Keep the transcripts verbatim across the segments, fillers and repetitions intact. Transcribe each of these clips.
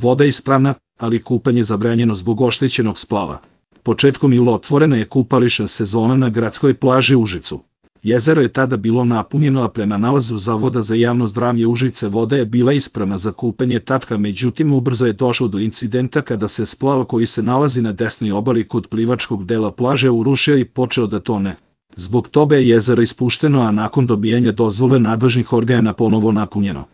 Voda je ispravna, ali kupanje zabranjeno zbog oštećenog splava. Početkom jula otvorena je kupališna sezona na gradskoj plaži Užicu. Jezero je tada bilo napunjeno, a prema nalazu Zavoda za javno zdravlje Užice voda je bila ispravna za kupanje tatka, međutim ubrzo je došlo do incidenta kada se splav koji se nalazi na desnoj obali kod plivačkog dela plaže urušio i počeo da tone. Zbog toga je jezero ispušteno, a nakon dobijanja dozvole nadležnih organa ponovo napunjeno.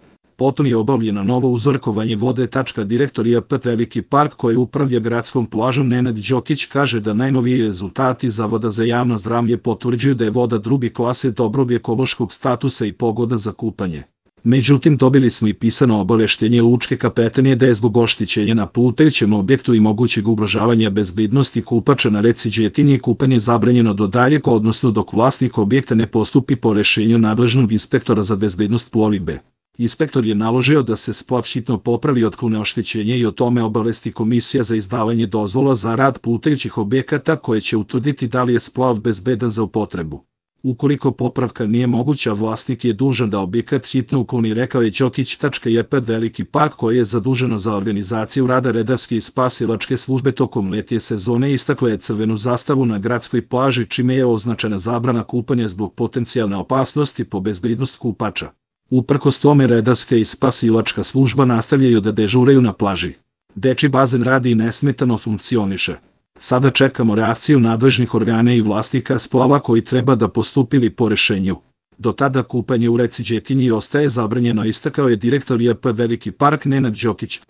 Potom je obavljeno novo uzorkovanje vode. Direktor I A P Veliki Park koji upravlja gradskom plažom Nenad Đokić kaže da najnoviji rezultati Zavoda za javno zdravlje potvrđuju da je voda druge klase dobrog ekološkog statusa i pogodna za kupanje. Međutim, dobili smo i pisano obaveštenje lučke kapetanije da je zbog oštećenja na plutajućem objektu i mogućeg ugrožavanja bezbednosti kupača na reci Đetini kupanje zabranjeno do daljeg, odnosno dok vlasnik objekta ne postupi po rešenju nadležnog inspektora za bezbednost plovidbe. Inspektor je naložio da se splav hitno popravi, otklone oštećenje i o tome obavesti Komisija za izdavanje dozvola za rad plutajućih objekata koje će utvrditi da li je splav bezbedan za upotrebu. Ukoliko popravka nije moguća, vlasnik je dužan da objekat hitno ukloni, rekao je Đokić. I A P Veliki Park koji je zaduženo za organizaciju rada redarske i spasilačke službe tokom letnje sezone istakla je crvenu zastavu na gradskoj plaži, čime je označena zabrana kupanja zbog potencijalne opasnosti po bezbednost kupača. Uprkos tome redarska i spasilačka služba nastavljaju da dežuraju na plaži. Dečiji bazen radi i nesmetano funkcioniše. Sada čekamo reakciju nadležnih organa i vlasnika splava koji treba da postupili po rešenju. Do tada kupanje u reci Đetinji ostaje zabranjeno, istakao je direktor I A P Veliki Park Nenad Đokić.